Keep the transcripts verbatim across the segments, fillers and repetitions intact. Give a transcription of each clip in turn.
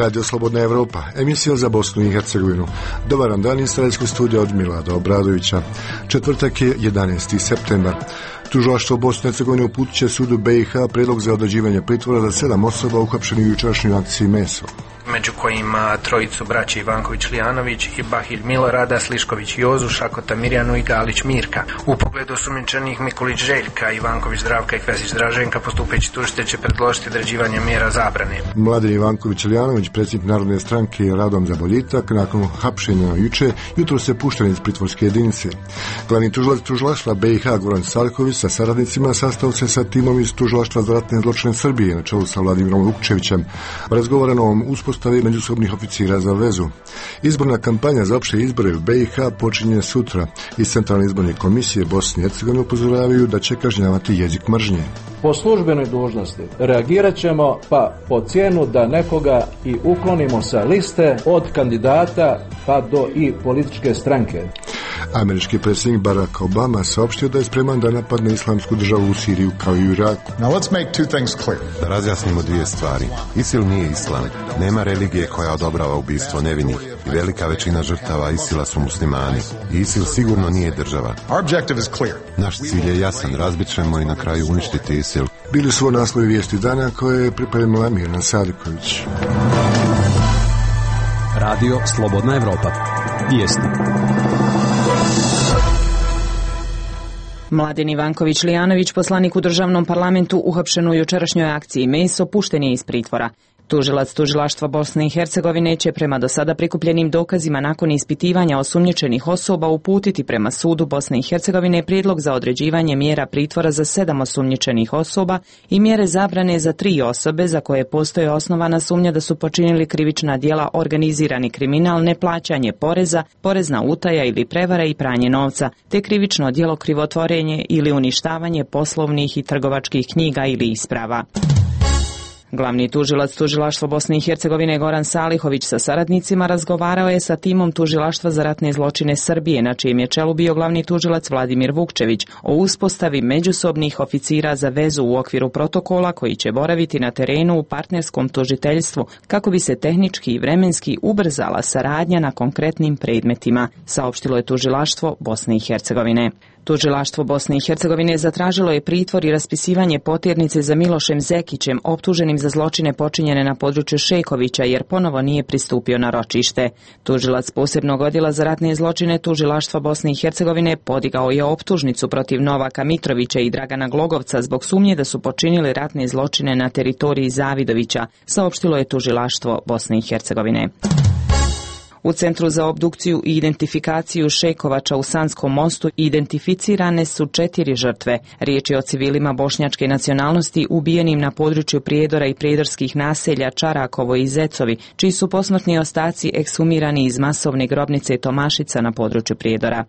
Radio Slobodna Evropa, emisija za Bosnu i Hercegovinu. Dobar dan iz Sarajevskog studija od Milada Obradovića. Četvrtak je jedanaesti septembar. Tužilaštvo Bosne i Hercegovine uputit će sudu B i H predlog za određivanje pritvora za sedam osoba uhapšenih u jučerašnjoj akciji Meso, među kojima trojicu braće Ivanković-Lijanović i Bahilj Milorada, Slišković Jozu, Šakota Mirjanu i Galić Mirka. U pogledu osumnjičenih Mikulić Željka, Ivanković Zdravka i Kvesić Draženka postupeći tužitelj će predložiti određivanje mjera zabrane. Mladen Ivanković-Lijanović, predsjednik Narodne stranke Radom za boljitak, nakon hapšenja juče, jutro se pušten iz pritvorske jedinice. Glavni tužilac tužilaštva B i H Goran Salković sa saradnicima sastao se sa timom iz tužilaštva za ratne zločine Srbije na čelu sa Vladimirom Vukčevićem. Razgovarano o uspostavi međusobnih oficira za vezu. Izborna kampanja za opšte izbore u B i H počinje sutra. Iz Centralne izborne komisije Bosne i Hercegovine upozoravaju da će kažnjavati jezik mržnje. Po službenoj dužnosti reagirat ćemo pa po cijenu da nekoga i uklonimo sa liste od kandidata pa do i političke stranke. Američki predsjednik Barack Obama saopštio da je spreman da napadne islamsku državu u Siriju kao i u Iraku. Now let's make two things clear. Da razjasnimo dvije stvari. ISIL nije islam. Nema religije koja odobrava ubistvo nevinih i velika većina žrtava ISIL-a su muslimani. I ISIL sigurno nije država. Our objective is clear. Naš cilj je jasan. Razbit ćemo i na kraju uništiti ISIL. Bili su naslovi vijesti dana koje je pripremila Mirna Sadiković. Radio Slobodna Evropa. Vijesti. Mladen Ivanković-Lijanović, poslanik u državnom parlamentu uhapšen u jučerašnjoj akciji Meso, pušten je iz pritvora. Tužilac tužilaštva Bosne i Hercegovine će prema do sada prikupljenim dokazima nakon ispitivanja osumnjičenih osoba uputiti prema sudu Bosne i Hercegovine prijedlog za određivanje mjera pritvora za sedam osumnjičenih osoba i mjere zabrane za tri osobe za koje postoje osnovana sumnja da su počinili krivična djela organizirani kriminal, neplaćanje poreza, porezna utaja ili prevara i pranje novca, te krivično djelo krivotvorenje ili uništavanje poslovnih i trgovačkih knjiga ili isprava. Glavni tužilac tužilaštva Bosne i Hercegovine Goran Salihović sa saradnicima razgovarao je sa timom tužilaštva za ratne zločine Srbije, na čijem je čelu bio glavni tužilac Vladimir Vukčević, o uspostavi međusobnih oficira za vezu u okviru protokola koji će boraviti na terenu u partnerskom tužiteljstvu kako bi se tehnički i vremenski ubrzala saradnja na konkretnim predmetima, saopštilo je tužilaštvo Bosne i Hercegovine. Tužilaštvo Bosne i Hercegovine zatražilo je pritvor i raspisivanje potjernice za Milošem Zekićem, optuženim za zločine počinjene na području Šejkovića, jer ponovo nije pristupio na ročište. Tužilac posebnog odjela za ratne zločine Tužilaštva Bosne i Hercegovine podigao je optužnicu protiv Novaka Mitrovića i Dragana Glogovca zbog sumnje da su počinili ratne zločine na teritoriji Zavidovića, saopštilo je Tužilaštvo Bosne i Hercegovine. U Centru za obdukciju i identifikaciju Šejkovača u Sanskom mostu identificirane su četiri žrtve. Riječ je o civilima bošnjačke nacionalnosti ubijenim na području Prijedora i prijedorskih naselja Čarakovo i Zecovi, čiji su posmrtni ostaci ekshumirani iz masovne grobnice Tomašica na području Prijedora.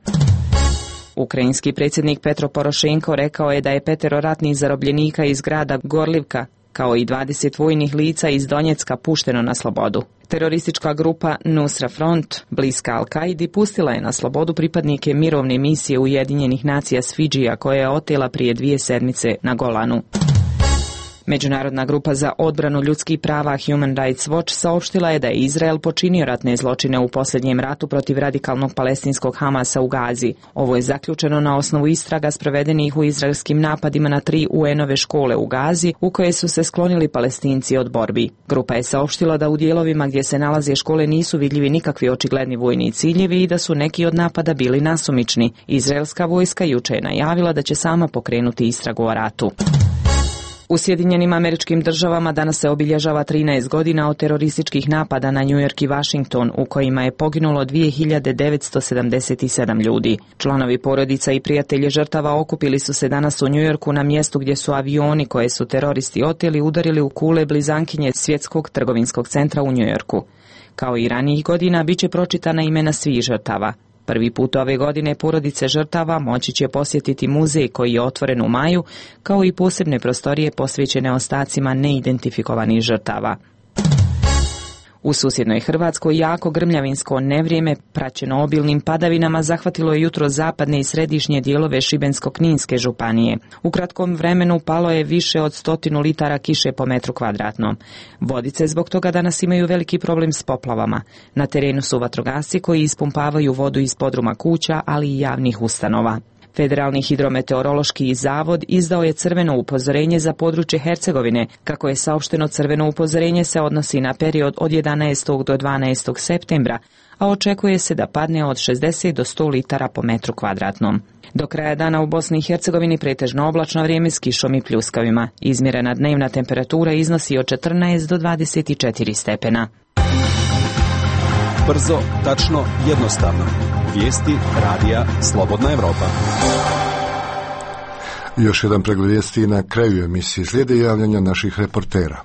Ukrajinski predsjednik Petro Porošenko rekao je da je petero ratnih zarobljenika iz grada Gorlivka kao i dvadeset vojnih lica iz Donjecka pušteno na slobodu. Teroristička grupa Nusra Front, bliska Al-Kaidi, pustila je na slobodu pripadnike mirovne misije Ujedinjenih nacija s Fidžija koje je otela prije dvije sedmice na Golanu. Međunarodna grupa za odbranu ljudskih prava Human Rights Watch saopštila je da je Izrael počinio ratne zločine u posljednjem ratu protiv radikalnog palestinskog Hamasa u Gazi. Ovo je zaključeno na osnovu istraga sprovedenih u izraelskim napadima na tri U N-ove škole u Gazi, u koje su se sklonili Palestinci od borbi. Grupa je saopštila da u dijelovima gdje se nalaze škole nisu vidljivi nikakvi očigledni vojni ciljevi i da su neki od napada bili nasumični. Izraelska vojska juče je najavila da će sama pokrenuti istragu o ratu. U Sjedinjenim Američkim Državama danas se obilježava trinaest godina od terorističkih napada na New York i Washington, u kojima je poginulo dvije hiljade devetsto sedamdeset sedam ljudi. Članovi porodica i prijatelji žrtava okupili su se danas u New Yorku na mjestu gdje su avioni koje su teroristi oteli udarili u kule blizankinje Svjetskog trgovinskog centra u New Yorku. Kao i ranijih godina, bit će pročitana imena svih žrtava. Prvi put ove godine porodice žrtava moći će posjetiti muzej koji je otvoren u maju, kao i posebne prostorije posvećene ostacima neidentifikovanih žrtava. U susjednoj Hrvatskoj jako grmljavinsko nevrijeme, praćeno obilnim padavinama, zahvatilo je jutro zapadne i središnje dijelove Šibensko-kninske županije. U kratkom vremenu palo je više od stotinu litara kiše po metru kvadratnom. Vodice zbog toga danas imaju veliki problem s poplavama. Na terenu su vatrogasci koji ispumpavaju vodu iz podruma kuća, ali i javnih ustanova. Federalni hidrometeorološki zavod izdao je crveno upozorenje za područje Hercegovine. Kako je saopšteno, crveno upozorenje se odnosi na period od jedanaestog do dvanaestog septembra, a očekuje se da padne od šezdeset do sto litara po metru kvadratnom. Do kraja dana u Bosni i Hercegovini pretežno oblačno vrijeme s kišom i pljuskavima. Izmjerena dnevna temperatura iznosi od četrnaest do dvadeset četiri stepena. Brzo, tačno, jednostavno. Vijesti radija Slobodna Evropa. Još jedan pregled vijesti na kraju emisije. Slijede javljanja naših reportera.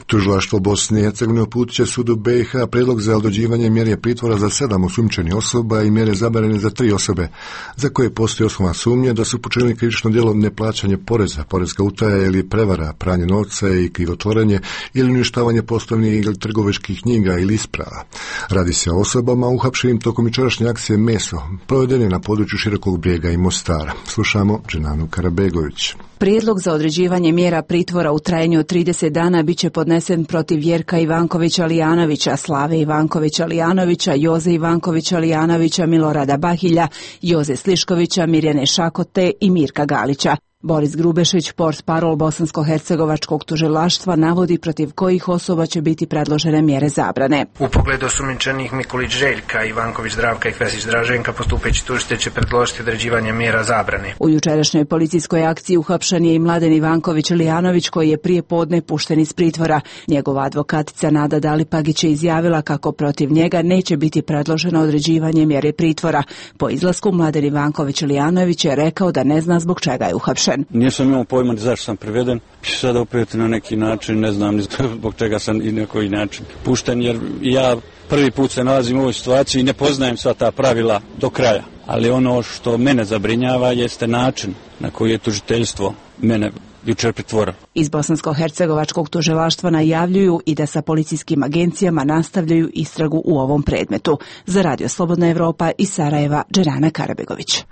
Tužilaštvo Bosne i Hercegovine uputit će sudu B i H prijedlog za određivanje mjere pritvora za sedam osumnjičenih osoba i mjere zabrane za tri osobe, za koje postoji osnovna sumnja da su počinili krivično djelo neplaćanje poreza, porezka utaja ili prevara, pranje novca i krivotvorenje ili uništavanje poslovnih ili trgovačkih knjiga ili isprava. Radi se o osobama uhapšenim tokom jučerašnje akcije Meso, provedene na području Širokog Brijega i Mostara. Slušamo Dženanu Karabegović. Prijedlog za određivanje mjera pritvora u trajanju od trideset dana biće podnesen protiv Jerka Ivankovića Lijanovića, Slave Ivankovića Lijanovića, Joze Ivankovića Lijanovića, Milorada Bahilja, Joze Sliškovića, Mirjane Šakote i Mirka Galića. Boris Grubešić, portparol bosansko-hercegovačkog tužilaštva, navodi protiv kojih osoba će biti predložene mjere zabrane. U pogledu osumnjičenih Mikulić Željka, Ivanković Zdravka i Kvesić Draženka postupeći tužitelj će predložiti određivanje mjera zabrane. U jučerašnjoj policijskoj akciji uhapšen je i Mladen Ivanković Lijanović, koji je prije podne pušten iz pritvora. Njegova advokatica Nada Dalipagić je izjavila kako protiv njega neće biti predloženo određivanje mjere pritvora. Po izlasku Mladen Ivanković Lijanović je rekao da ne zna zbog čega je uhapšen. Nisam imao pojma zašto sam priveden, sad opet na neki način ne znam ni zbog čega sam i na koji način pušten, jer ja prvi put se nalazim u ovoj situaciji i ne poznajem sva ta pravila do kraja. Ali ono što mene zabrinjava jeste način na koji je tužiteljstvo mene jučer pritvorilo. Iz bosansko-hercegovačkog tužilaštva najavljuju i da sa policijskim agencijama nastavljaju istragu u ovom predmetu. Za Radio Slobodna Evropa iz Sarajeva, Dženana Karabegović.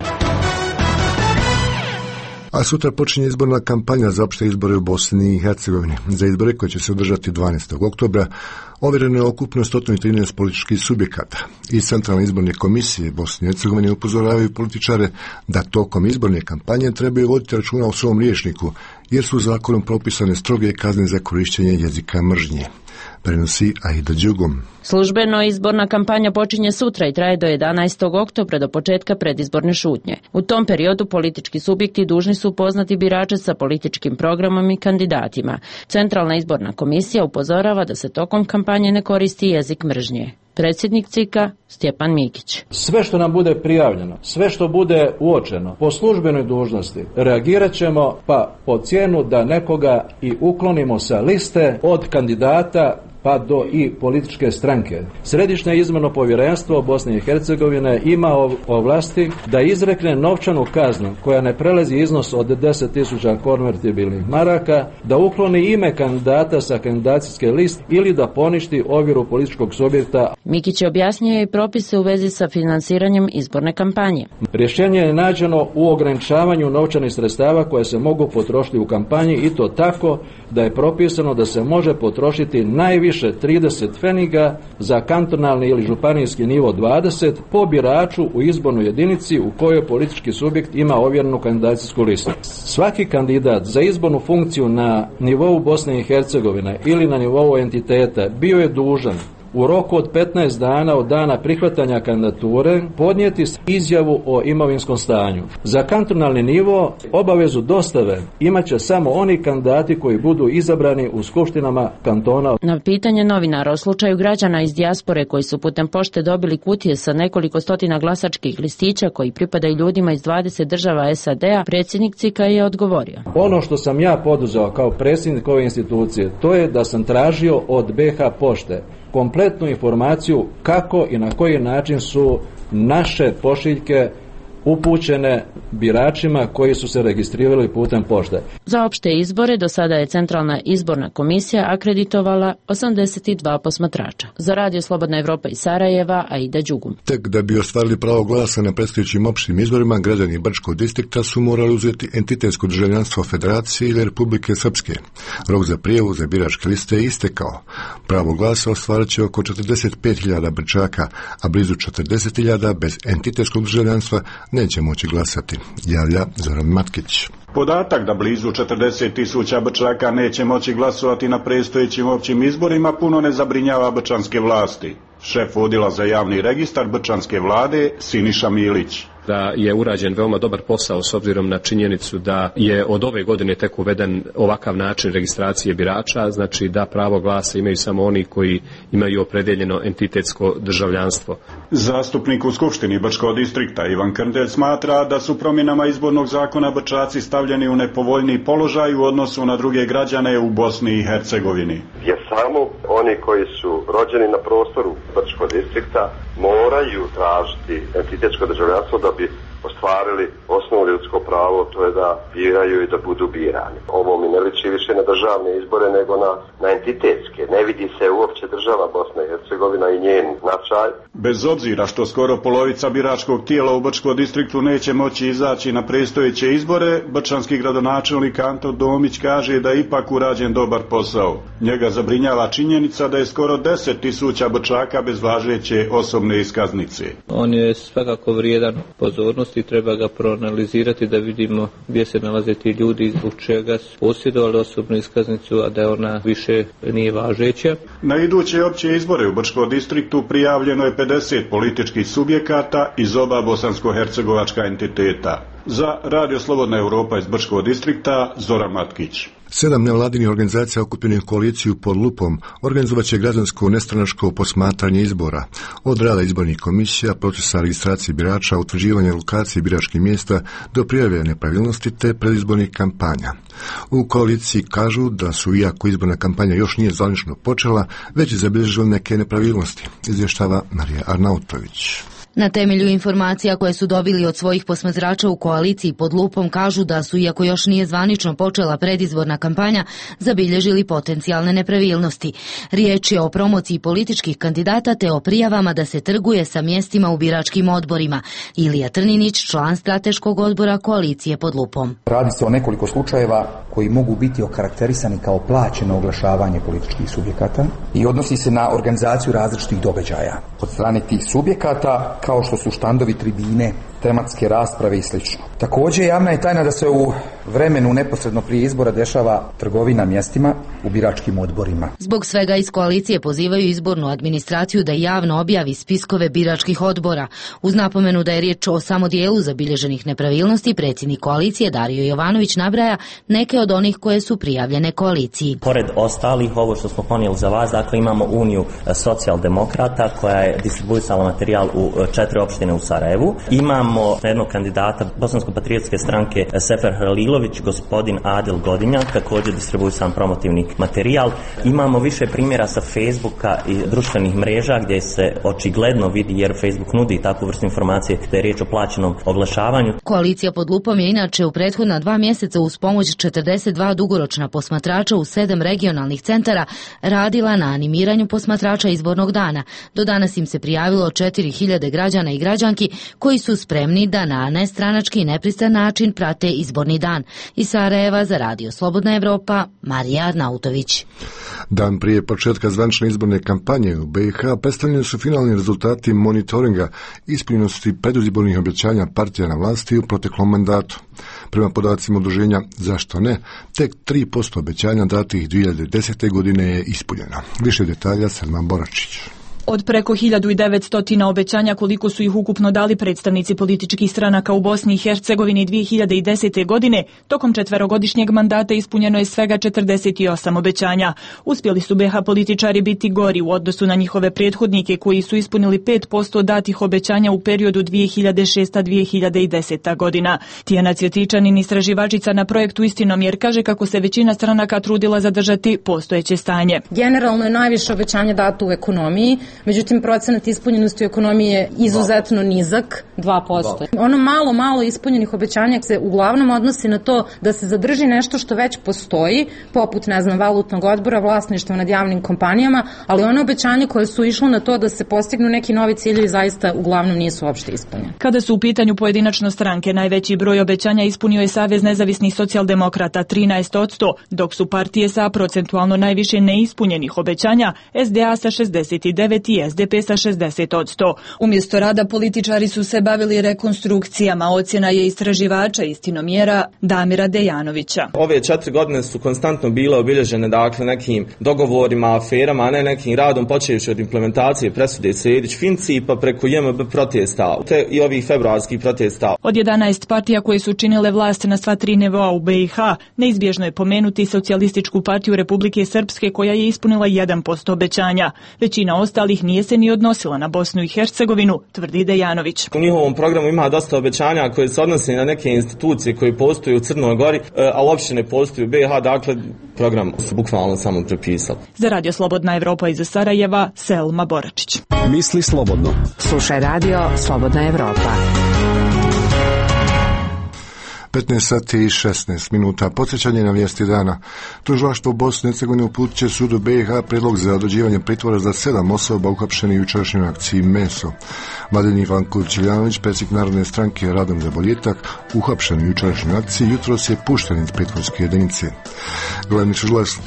A sutra počinje izborna kampanja za opšte izbore u Bosni i Hercegovini. Za izbore koje će se održati dvanaestog oktobra ovjereno je okupno sto trinaest političkih subjekata. Iz Centralne izborne komisije Bosne i Hercegovine upozoravaju političare da tokom izborne kampanje trebaju voditi računa o svom rječniku, jer su zakonom propisane stroge kazne za korištenje jezika mržnje. Prenosi Aida Đugom. Službeno izborna kampanja počinje sutra i traje do jedanaestog oktobra, do početka predizborne šutnje. U tom periodu politički subjekti dužni su upoznati birače sa političkim programom i kandidatima. Centralna izborna komisija upozorava da se tokom kampanje ne koristi jezik mržnje. Predsjednik C I K-a Stjepan Mikić. Sve što nam bude prijavljeno, sve što bude uočeno po službenoj dužnosti, reagirat ćemo pa po cijenu da nekoga i uklonimo sa liste od kandidata pa do i političke stranke. Središnje izborno povjerenstvo Bosne i Hercegovine ima ovlasti da izrekne novčanu kaznu koja ne prelazi iznos od deset tisuća konvertibilnih maraka, da ukloni ime kandidata sa kandidacijske liste ili da poništi ovjeru političkog subjekta. Mikić je objasnio i propise u vezi sa finansiranjem izborne kampanje. Rješenje je nađeno u ograničavanju novčanih sredstava koje se mogu potrošiti u kampanji, i to tako da je propisano da se može potrošiti najviše trideset pfeniga, za kantonalni ili županijski nivo dvadeset, po biraču u izbornoj jedinici u kojoj politički subjekt ima ovjerenu kandidacijsku listu. Svaki kandidat za izbornu funkciju na nivou Bosne i Hercegovine ili na nivou entiteta bio je dužan u roku od petnaest dana od dana prihvatanja kandidature podnijeti izjavu o imovinskom stanju. Za kantonalni nivo obavezu dostave imat će samo oni kandidati koji budu izabrani u skupštinama kantona. Na pitanje novinara o slučaju građana iz dijaspore koji su putem pošte dobili kutije sa nekoliko stotina glasačkih listića koji pripadaju ljudima iz dvadeset država S A D-a, predsjednik C I K-a je odgovorio. Ono što sam ja poduzeo kao predsjednik ove institucije, to je da sam tražio od B H pošte kompletnu informaciju kako i na koji način su naše pošiljke upućene biračima koji su se registrirali putem pošte. Za opšte izbore do sada je Centralna izborna komisija akreditovala osamdeset dva posmatrača. Za Radio Slobodna Evropa iz Sarajeva, Aida Đugum. Tek da bi ostvarili pravo glasa na predstojećim opštim izborima, građani Brčkog distrikta su morali uzeti entitetsko državljanstvo Federacije ili Republike Srpske. Rok za prijavu za biračke liste je istekao. Pravo glasa ostvarit će oko četrdeset pet hiljada Brčaka, a blizu četrdeset hiljada bez entitetskog državljanstva neće moći glasati, javlja Zoran Matkić. Podatak da blizu četrdeset tisuća Brčaka neće moći glasovati na predstojećim općim izborima puno ne zabrinjava brčanske vlasti. Šef odjela za javni registar brčanske vlade Siniša Milić. Da je urađen veoma dobar posao s obzirom na činjenicu da je od ove godine tek uveden ovakav način registracije birača, znači da pravo glasa imaju samo oni koji imaju opredeljeno entitetsko državljanstvo. Zastupnik u Skupštini Brčkog distrikta Ivan Krndelj smatra da su promjenama izbornog zakona Brčaci stavljeni u nepovoljniji položaj u odnosu na druge građane u Bosni i Hercegovini. Jer samo oni koji su rođeni na prostoru Brčkog distrikta moraju tražiti entitetsko državljanstvo da bi ostvarili osnovno ljudsko pravo, to je da biraju i da budu birani. Ovo mi ne liči više na državne izbore nego na, na entitetske. Ne vidi se uopće država Bosna i Hercegovina i njen značaj. Bez obzira što skoro polovica biračkog tijela u Brčkom distriktu neće moći izaći na predstojeće izbore, brčanski gradonačelnik Anto Domić kaže da je ipak urađen dobar posao. Njega zabrinjava činjenica da je skoro deset tisuća Brčaka bez važeće osobne iskaznice. On je svakako vrijedan pozornosti i treba ga proanalizirati da vidimo gdje se nalaze ti ljudi i zbog čega su posjedovali osobnu iskaznicu, a da ona više nije važeća. Na iduće opće izbore u Brčkom distriktu prijavljeno je pedeset političkih subjekata iz oba bosansko-hercegovačka entiteta. Za Radio Slobodna Europa iz Brčkog distrikta Zoran Matkić. Sedam nevladinih organizacija okupljenih koaliciju pod lupom organizovat će građansko nestranačko posmatranje izbora. Od rada izbornih komisija, procesa registracije birača, utvrđivanja lokacije biračkih mjesta do prijave nepravilnosti te predizbornih kampanja. U koaliciji kažu da su, iako izborna kampanja još nije zvanično počela, već zabilježili neke nepravilnosti, izvještava Marija Arnautović. Na temelju informacija koje su dobili od svojih posmatrača u koaliciji pod lupom kažu da su, iako još nije zvanično počela predizborna kampanja, zabilježili potencijalne nepravilnosti. Riječ je o promociji političkih kandidata te o prijavama da se trguje sa mjestima u biračkim odborima. Ilija Trninić, član strateškog odbora koalicije pod lupom. Radi se o nekoliko slučajeva koji mogu biti okarakterisani kao plaćeno oglašavanje političkih subjekata i odnosi se na organizaciju različitih događaja od strane tih subjekata, kao što su štandovi, tribine, tematske rasprave i sl. Također javna je tajna da se u vremenu neposredno prije izbora dešava trgovina mjestima u biračkim odborima. Zbog svega iz koalicije pozivaju izbornu administraciju da javno objavi spiskove biračkih odbora. Uz napomenu da je riječ o samo dijelu zabilježenih nepravilnosti, predsjednik koalicije Dario Jovanović nabraja neke od onih koje su prijavljene koaliciji. Pored ostalih, ovo što smo ponijeli za vas, dakle imamo Uniju socijaldemokrata koja je distribuisala materijal u četiri opštine u Sarajevu. Imamo jednog kandidata Bosansko-patriotske stranke Sefer Halilović, gospodin Adil Godinja, također distribuisan promotivni materijal. Imamo više primjera sa Facebooka i društvenih mreža gdje se očigledno vidi, jer Facebook nudi takvu vrstu informacije, da je riječ o plaćenom oglašavanju. Koalicija pod lupom je inače u prethodna dva mjeseca uz pomoć četrdeset dva dugoročna posmatrača u sedam regionalnih centara radila na animiranju posmatrača izbornog dana. Do danas im se prijavilo četiri hiljade građana i građanki koji su spremni da na nestranački i nepristan način prate izborni dan. Iz Sarajeva za Radio Slobodna Evropa, Marija Arnautović. Dan prije početka zvanične izborne kampanje u B i H predstavljeni su finalni rezultati monitoringa ispunjenosti predizbornih obećanja partija na vlasti u proteklom mandatu. Prema podacima udruženja Zašto ne, tek tri posto obećanja datih dvije hiljade desete. godine je ispunjeno. Više detalja Selma Boračić. Od preko hiljadu devetsto obećanja koliko su ih ukupno dali predstavnici političkih stranaka u Bosni i Hercegovini dvije hiljade desete. godine, tokom četverogodišnjeg mandata ispunjeno je svega četrdeset osam obećanja. Uspjeli su be ha političari biti gori u odnosu na njihove prethodnike koji su ispunili pet posto datih obećanja u periodu dvije hiljade šesta do dvije hiljade deseta. godina. Tijana Cvjetičanin, istraživačica na projektu Istinomjer, kaže kako se većina stranaka trudila zadržati postojeće stanje. Generalno je najviše obećanja dato u ekonomiji, međutim procenat ispunjenosti u ekonomiji je izuzetno nizak, dva posto. Ono malo, malo ispunjenih obećanja se uglavnom odnosi na to da se zadrži nešto što već postoji, poput, ne znam, valutnog odbora, vlasništva nad javnim kompanijama, ali one obećanja koje su išle na to da se postignu neki novi ciljevi zaista uglavnom nisu uopšte ispunjeni. Kada su u pitanju pojedinačno stranke, najveći broj obećanja ispunio je Savez nezavisnih socijaldemokrata trinaest posto, dok su partije sa procentualno najviše neispunjenih obećanja S D A sa šezdeset devet i S D P sa šezdeset posto. Umjesto rada političari su se bavili rekonstrukcijama, ocjena je istraživača istinomjera Damira Dejanovića. Ove četiri godine su konstantno bile obilježene dakle nekim dogovorima, aferama, a ne nekim radom počevši od implementacije presude Sejdić-Finci pa preko J M B protesta te i ovih februarskih protesta. Od jedanaest partija koje su činile vlast na sva tri nivoa u B i H, neizbježno je pomenuti Socijalističku partiju Republike Srpske koja je ispunila jedan posto obećanja. Većina ostalih nije se ni odnosila na Bosnu i Hercegovinu, tvrdi Dejanović. U njihovom programu ima dosta obećanja koje se odnose na neke institucije koje postoje u Crnoj Gori, a uopće ne postoje u B i H, dakle program su bukvalno samo prepisali. Za Radio Slobodna Evropa iz Sarajeva, Selma Boračić. Misli slobodno. Slušaj Radio Slobodna Evropa. petnaest sati i šesnaest minuta. Podsjećanje na vijesti dana. Tužilaštvo u Bosni i Hercegovini uputit će sudu B i H prijedlog za određivanje pritvora za sedam osoba uhapšenih u jučerašnjoj akciji Meso. Mladen Ivanković-Iljanović, predsjednik Narodne stranke Radom za boljitak, uhapšen u jučerašnjoj akciji, jutros je pušten iz pritvorske jedinice. Glavni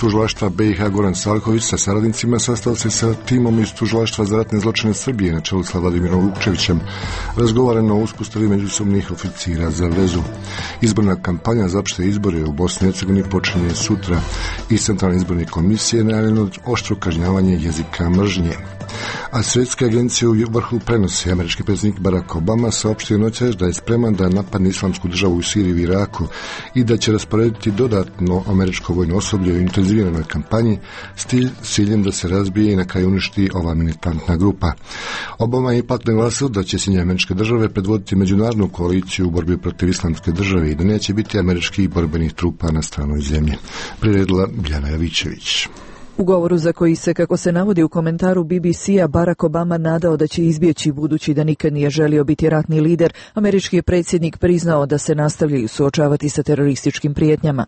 tužilaštva B i H Goran Salković sa saradnicima sastao se sa timom iz tužilaštva za ratne zločine Srbije na čelu sa Vladimirom Vukčevićem. Razgovarano o uspostavi međusobnih oficira za vezu. Izborna kampanja za opšte izbore u Bosni i Hercegovini počinje sutra i Centralne izborne komisije najavljeno oštro kažnjavanje jezika mržnje. A svjetske agencije u vrhu prenosi. Američki predsjednik Barack Obama saopštio noćas da je spreman da napadne islamsku državu u Siriji i Iraku i da će rasporediti dodatno američko vojno osoblje u intenziviranoj kampanji s ciljem da se razbije i na kraju uništi ova militantna grupa. Obama je ipak naglasio da će Sjedinjene Američke Države predvoditi međunarodnu koaliciju u borbi protiv islamske države i da neće biti američkih borbenih trupa na stranoj zemlji. Priredila Bjana Javićević. U govoru za koji se, kako se navodi u komentaru B B C-a, Barack Obama nadao da će izbjeći budući da nikad nije želio biti ratni lider, američki je predsjednik priznao da se nastavljaju suočavati sa terorističkim prijetnjama.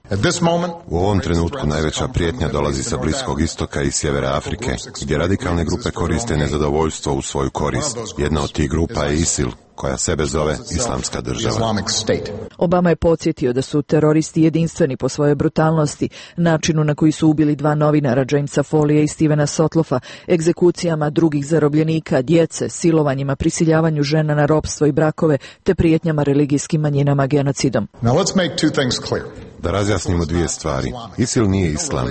U ovom trenutku najveća prijetnja dolazi sa Bliskog istoka i sjevera Afrike, gdje radikalne grupe koriste nezadovoljstvo u svoju korist. Jedna od tih grupa je ISIL, koja sebe zove Islamska država. Obama je podsjetio da su teroristi jedinstveni po svojoj brutalnosti, načinu na koji su ubili dva novinara, Jamesa Folija i Stevena Sotlofa, egzekucijama drugih zarobljenika, djece, silovanjima, prisiljavanju žena na ropstvo i brakove, te prijetnjama religijskim manjinama genocidom. Da razjasnimo dvije stvari. ISIL nije islam.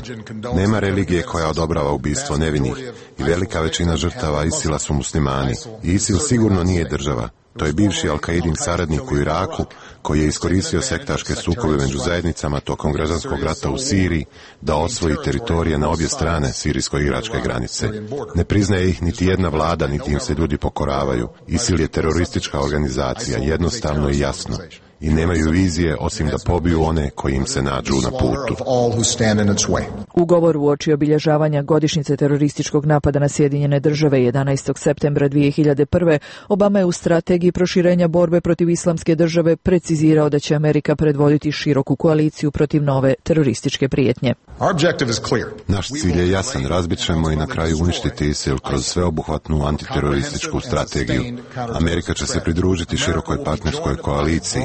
Nema religije koja odobrava ubistvo nevinih i velika većina žrtava ISIL-a su muslimani. I ISIL sigurno nije država. To je bivši Al-Qaidin saradnik u Iraku koji je iskoristio sektaške sukobe među zajednicama tokom građanskog rata u Siriji da osvoji teritorije na obje strane sirijsko-iračke granice. Ne priznaje ih niti jedna vlada, niti im se ljudi pokoravaju. ISIL je teroristička organizacija, jednostavno i jasno. I nemaju vizije osim da pobiju one koji im se nađu na putu. U govoru uoči obilježavanja godišnjice terorističkog napada na Sjedinjene Države jedanaestog septembra dvije hiljade prve. Obama je u strategiji proširenja borbe protiv islamske države precizirao da će Amerika predvoditi široku koaliciju protiv nove terorističke prijetnje. Naš cilj je jasan, razbit ćemo i na kraju uništiti ISIL kroz sveobuhvatnu antiterorističku strategiju. Amerika će se pridružiti širokoj partnerskoj koaliciji.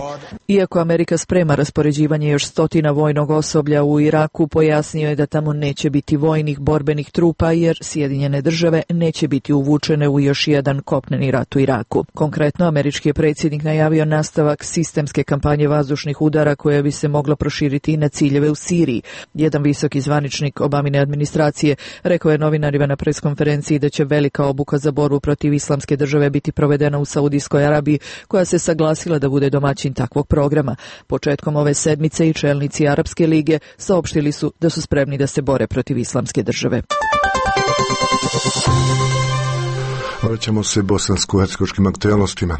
Iako Amerika sprema raspoređivanje još stotina vojnog osoblja u Iraku, pojasnio je da tamo neće biti vojnih borbenih trupa jer Sjedinjene Države neće biti uvučene u još jedan kopneni rat u Iraku. Konkretno, američki je predsjednik najavio nastavak sistemske kampanje vazdušnih udara koja bi se mogla proširiti i na ciljeve u Siriji. Jedan visoki zvaničnik Obamine administracije rekao je novinarima na preskonferenciji da će velika obuka za borbu protiv islamske države biti provedena u Saudijskoj Arabiji, koja se saglasila da bude domaćin takvog programa. Početkom ove sedmice i čelnici Arapske lige saopštili su da su spremni da se bore protiv islamske države. Vraćamo se bosansko-hercegovačkim aktualnostima.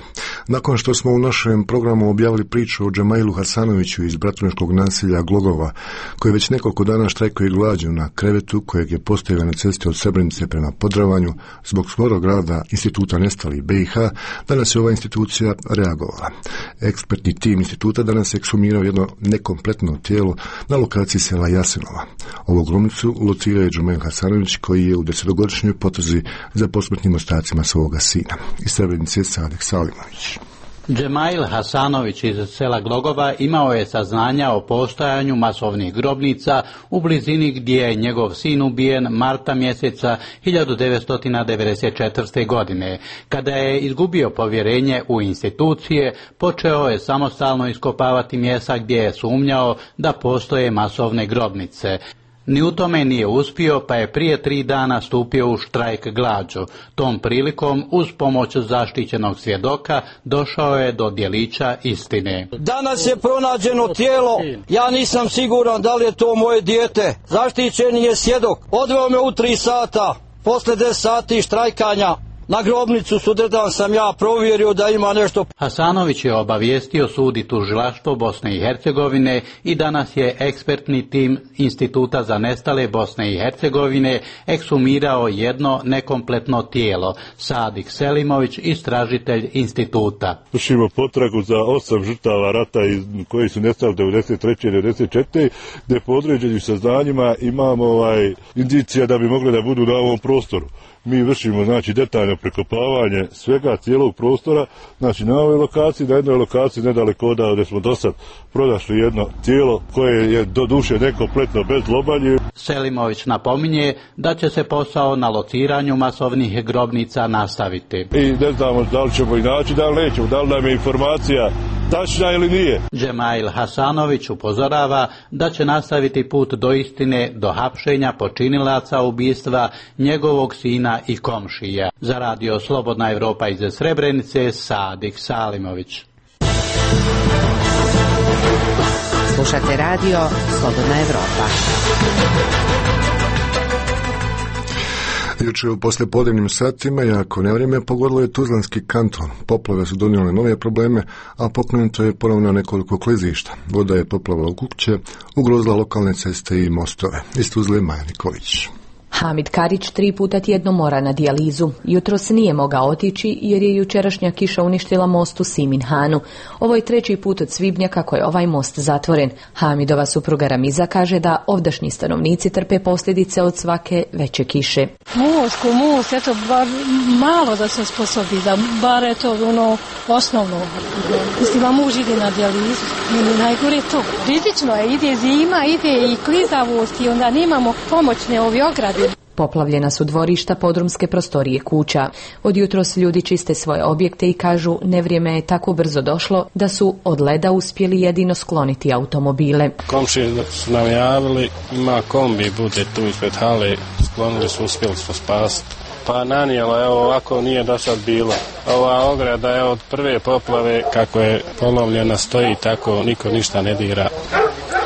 Nakon što smo u našem programu objavili priču o Džemailu Hasanoviću iz bratuneškog naselja Glogova, koji već nekoliko dana štrajkuje glađu na krevetu kojeg je postavio na cesti od Srebrenice prema Podravanju zbog skorog rada Instituta nestalih B i H, danas je ova institucija reagovala. Ekspertni tim instituta danas je ekshumirao jedno nekompletno tijelo na lokaciji sela Jasenova. Ovu grobnicu locirao je Džemail Hasanović, koji je u desetogodišnjoj potrazi za posmrtnim ostacima svoga sina. Iz Srebrenice Sadek Salimović. Džemail Hasanović iz sela Glogova imao je saznanja o postojanju masovnih grobnica u blizini gdje je njegov sin ubijen marta mjeseca hiljadu devetsto devedeset četvrte. godine. Kada je izgubio povjerenje u institucije, počeo je samostalno iskopavati mjesta gdje je sumnjao da postoje masovne grobnice. Ni u tome nije uspio, pa je prije tri dana stupio u štrajk glađu. Tom prilikom, uz pomoć zaštićenog svjedoka, došao je do djelića istine. Danas je pronađeno tijelo, ja nisam siguran da li je to moje dijete. Zaštićeni je svjedok, odveo me u tri sata, posle deset sati štrajkanja. Na grobnicu sutradan sam ja provjerio da ima nešto. Hasanović je obavijestio sud i tužilaštvo Bosne i Hercegovine i danas je ekspertni tim Instituta za nestale Bosne i Hercegovine ekshumirao jedno nekompletno tijelo. Sadik Selimović, istražitelj instituta. Vršimo potragu za osam žrtava rata koji su nestali devedeset treće i devedeset četvrte. gdje po određenim saznanjima imamo ovaj indicija da bi mogli da budu na ovom prostoru. Mi vršimo znači detaljno prekopavanje svega cijelog prostora, znači na ovoj lokaciji, na jednoj lokaciji nedaleko odavde gdje smo do sad pronašli jedno tijelo koje je do duše nekompletno bez lobanje. Selimović napominje da će se posao na lociranju masovnih grobnica nastaviti. I ne znamo da li ćemo i naći, da li nećemo, da li nam je informacija tačna ili nije. Džemail Hasanović upozorava da će nastaviti put do istine, do hapšenja počinilaca ubistva njegovog sina i komšija. Za radio Slobodna Evropa iz Srebrenice, Sadik Salimović. Slušate radio Slobodna Evropa. Juče u poslijepodnevnim satima, jako nevrijeme, pogodilo je Tuzlanski kanton. Poplave su donijele nove probleme, a pokrenuto je ponovno nekoliko klizišta. Voda je poplavala u kuće, ugrozila lokalne ceste i mostove. Iz Tuzle Maja Nikolić. Hamid Karić tri puta tjedno mora na dijalizu. Jutros nije mogao otići jer je jučerašnja kiša uništila most u Siminhanu. Ovo je treći put od svibnja kako je ovaj most zatvoren. Hamidova supruga Ramiza kaže da ovdašnji stanovnici trpe posljedice od svake veće kiše. Most, ko most, eto, bar malo da se sposobi, da bar eto ono osnovno. Mislim, a muž ide na dijalizu. Meni najgore to. Rizično je, ide zima, ide i klizavost i onda nemamo pomoćne ovi ograde. Poplavljena su dvorišta, podrumske prostorije kuća. Od jutros ljudi čiste svoje objekte i kažu nevrijeme je tako brzo došlo da su od leda uspjeli jedino skloniti automobile. Komšije su nam javili, ima kombi, bude tu ispred hale, sklonili su, uspjeli su spasiti. Pa nanijela, evo ovako nije do sad bilo. Ova ograda je od prve poplave, kako je polovljena, stoji tako, niko ništa ne dira.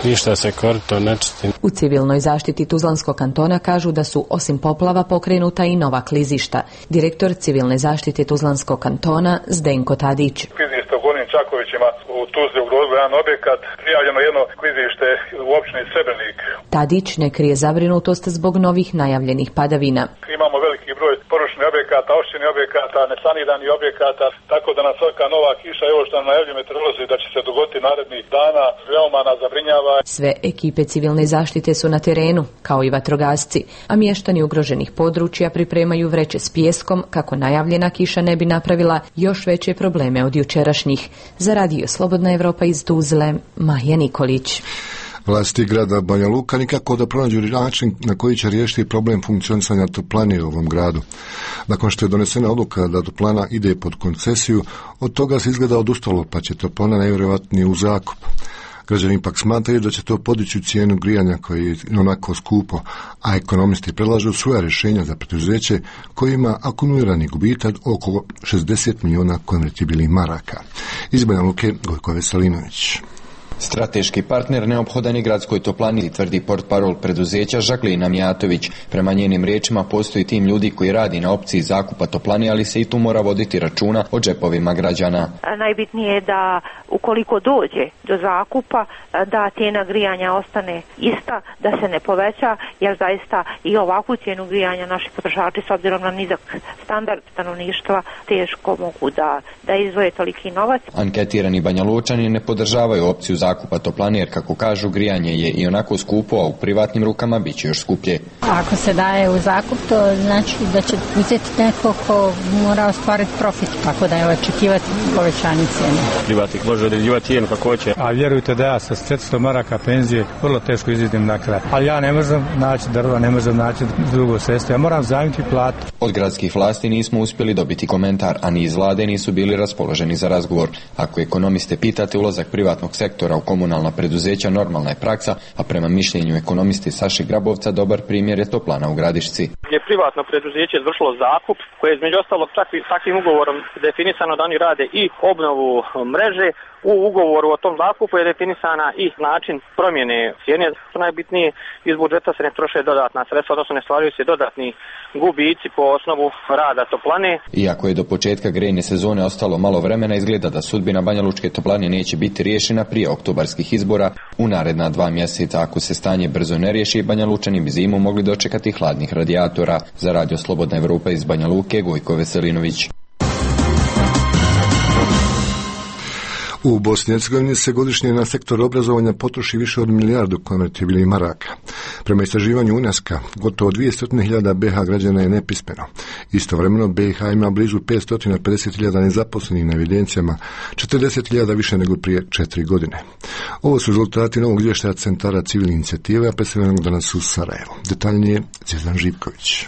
Ništa se korito ne čisti. U civilnoj zaštiti Tuzlanskog kantona kažu da su osim poplava pokrenuta i nova klizišta. Direktor civilne zaštite Tuzlanskog kantona Zdenko Tadić. Klizište u Gornjim Čakovićima u Tuzli ugrozilo jedan objekat, prijavljeno jedno klizište u općini Srebrnik. Tadić ne krije zabrinutost zbog novih najavljenih padavina. Imamo veliki broj porušenih objekata, oštenih objekata, nesaniranih objekata, tako da na svaka nova kiša, evo što nam najavljuju meteorolozi da će se dogoditi narednih dana, veoma nas zabrinjava. Sve ekipe civilne zaštite su na terenu, kao i vatrogasci, a mještani ugroženih područja pripremaju vreće s pijeskom kako najavljena kiša ne bi napravila još veće probleme od jučerašnjih. Za radio Slobodna Evropa iz Tuzle, Maja Nikolić. Vlasti grada Banja Luka nikako da pronađu način na koji će riješiti problem funkcionisanja toplane u ovom gradu. Nakon što je donesena odluka da toplana ide pod koncesiju, od toga se izgleda odustalo, pa će toplana najvjerojatnije u zakup. Građani ipak smatraju da će to podići cijenu grijanja koji je onako skupo, a ekonomisti predlažu svoja rješenja za preduzeće koji ima akumulirani gubitak oko šezdeset milijuna konvertibilnih maraka. Iz Banja Luke, Gojko Veselinović. Strateški partner neophodan je gradskoj toplani, tvrdi portparol preduzeća Žaklina Mijatović. Prema njenim riječima postoji tim ljudi koji radi na opciji zakupa toplani, ali se i tu mora voditi računa o džepovima građana. Najbitnije je da ukoliko dođe do zakupa, da cijena grijanja ostane ista, da se ne poveća, jer zaista i ovakvu cijenu grijanja naši potrošači s obzirom na nizak standard stanovništva teško mogu da, da izdvoje toliki novac. Anketirani Banjalučani ne podržavaju opciju zakupa toplane jer, kako kažu, grijanje je i onako skupo, a u privatnim rukama bit će još skuplje. Ako se daje u zakup, to znači da će uzeti neko ko mora ostvariti profit, tako da je očekivati povećanje cijene. Privatnik može određivati cijenu kako hoće. A vjerujte da ja sa četiristo maraka penzije vrlo teško izvidim na kraj. Ali ja ne možem naći drva, ne možem naći drugo sredstvo. Ja moram zajmiti platu. Od gradskih vlasti nismo uspjeli dobiti komentar, a ni iz vlade nisu bili raspoloženi za razgovor. Ako ekonomiste pitate, ulazak privatnog sektora u komunalna preduzeća normalna je praksa, a prema mišljenju ekonomiste Saše Grabovca dobar primjer je toplana u Gradišci. Je privatno preduzeće izvršilo zakup koje je između ostalog takvim ugovorom definisano da oni rade i obnovu mreže. U ugovoru o tom zakupu je definisana i način promjene cijene. Najbitnije, iz budžeta se ne troše dodatna sredstva, odnosno ne stvaraju se dodatni gubici po osnovu rada toplane. Iako je do početka grejne sezone ostalo malo vremena, izgleda da sudbina Banjalučke toplane neće biti riješena prije oktobarskih izbora. U naredna dva mjeseca, ako se stanje brzo ne riješi, Banjalučani bi zimu mogli dočekati hladnih radijatora. Za Radio Slobodna Evropa iz Banja Luke, Gojko Veselinović. U Bosni i Hercegovini se godišnje na sektor obrazovanja potroši više od milijardu konvertibilnih maraka. Prema istraživanju UNESCO, gotovo dvjesto hiljada B H građana je nepismeno. Istovremeno B i H ima blizu petsto pedeset hiljada nezaposlenih na evidencijama, četrdeset hiljada više nego prije četiri godine. Ovo su rezultati novog izvještaja centara civilne inicijative, predstavljenog danas u Sarajevu. Detaljnije Cezan Živković.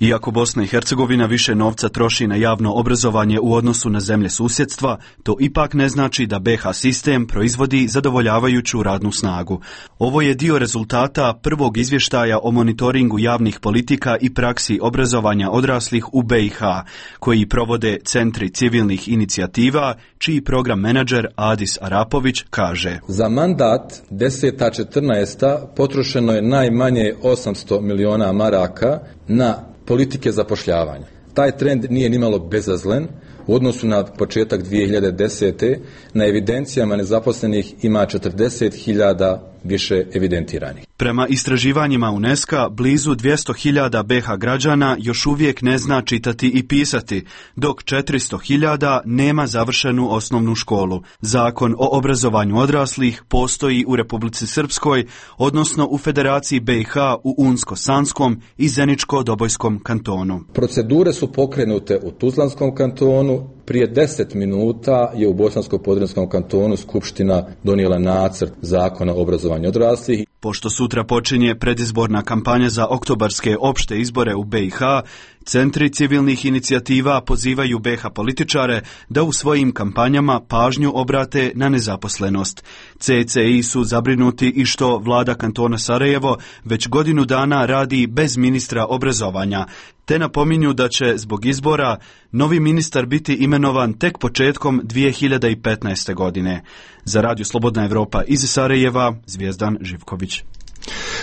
Iako Bosna i Hercegovina više novca troši na javno obrazovanje u odnosu na zemlje susjedstva, to ipak ne znači da B H sistem proizvodi zadovoljavajuću radnu snagu. Ovo je dio rezultata prvog izvještaja o monitoringu javnih politika i praksi obrazovanja odraslih u B i H, koji provode centri civilnih inicijativa, čiji program menadžer Adis Arapović kaže: Za mandat deseta četrnaesta potrošeno je najmanje osamsto miliona maraka na politike zapošljavanja. Taj trend nije nimalo bezazlen. U odnosu na početak dvije hiljade desete. na evidencijama nezaposlenih ima četrdeset hiljada više evidentiranih. Prema istraživanjima UNESCO, blizu dvjesto hiljada B H građana još uvijek ne zna čitati i pisati, dok četiristo hiljada nema završenu osnovnu školu. Zakon o obrazovanju odraslih postoji u Republici Srpskoj, odnosno u Federaciji B i H u Unsko-Sanskom i Zeničko-Dobojskom kantonu. Procedure su pokrenute u Tuzlanskom kantonu. Prije deset minuta je u Bosansko-Podrinjskom kantonu Skupština donijela nacrt zakona o obrazovanju odraslih. Pošto sutra počinje predizborna kampanja za oktobarske opšte izbore u B i H, centri civilnih inicijativa pozivaju B H političare da u svojim kampanjama pažnju obrate na nezaposlenost. C C I su zabrinuti i što vlada kantona Sarajevo već godinu dana radi bez ministra obrazovanja, te napominju da će zbog izbora novi ministar biti imenovan tek početkom dvije hiljade petnaeste. godine. Za Radio Slobodna Evropa iz Sarajeva, Zvijezdan Živković.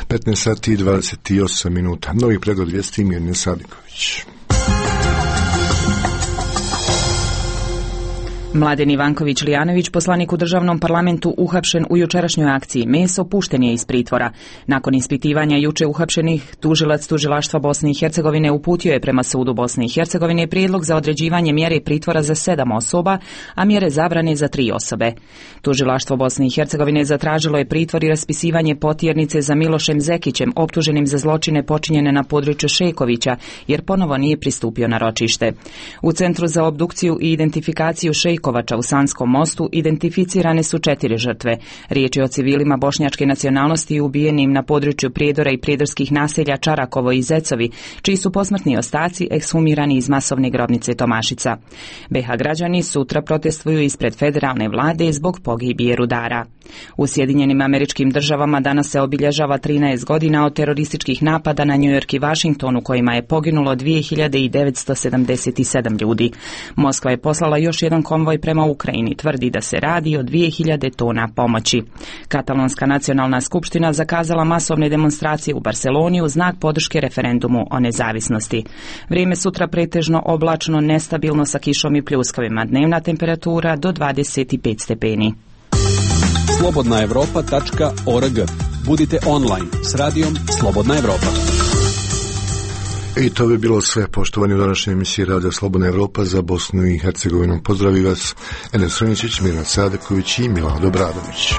petnaest sati i dvadeset osam minuta. Novi pregled vijesti Mirne Sadiković. Mladen Ivanković-Lijanović, poslanik u državnom parlamentu uhapšen u jučerašnjoj akciji Meso, pušten je iz pritvora. Nakon ispitivanja juče uhapšenih, tužilac tužilaštva Bosne i Hercegovine uputio je prema sudu Bosne i Hercegovine prijedlog za određivanje mjere pritvora za sedam osoba, a mjere zabrane za tri osobe. Tužilaštvo Bosne i Hercegovine zatražilo je pritvor i raspisivanje potjernice za Milošem Zekićem, optuženim za zločine počinjene na području Šejkovića, jer ponovo nije pristupio na ročište. U Centru za obdukciju i identifikaciju Šejkovića u Sanskom mostu identificirane su četiri žrtve. Riječ je o civilima bošnjačke nacionalnosti ubijenim na području Prijedora i prijedorskih naselja Čarakovo i Zecovi, čiji su posmrtni ostaci ekshumirani iz masovne grobnice Tomašica. B H građani sutra protestuju ispred federalne vlade zbog pogibije rudara. U Sjedinjenim Američkim Državama danas se obilježava trinaest godina od terorističkih napada na New York i Washington, u kojima je poginulo dvije hiljade devetsto sedamdeset sedam ljudi. Moskva je poslala još jedan konvoj konvoj prema Ukrajini tvrdi da se radi o dvije hiljade tona pomoći. Katalonska nacionalna skupština zakazala masovne demonstracije u Barseloni u znak podrške referendumu o nezavisnosti. Vrijeme sutra pretežno oblačno, nestabilno sa kišom i pljuskavima, dnevna temperatura do dvadeset pet stepeni. slobodna europa tačka org. Budite online s radijom Slobodna Evropa. I to bi bilo sve, poštovani, u današnjoj emisiji Radija Slobodna Evropa za Bosnu i Hercegovinu. Pozdravi vas Enes Roničić, Miran Sadeković i Milado Bradović.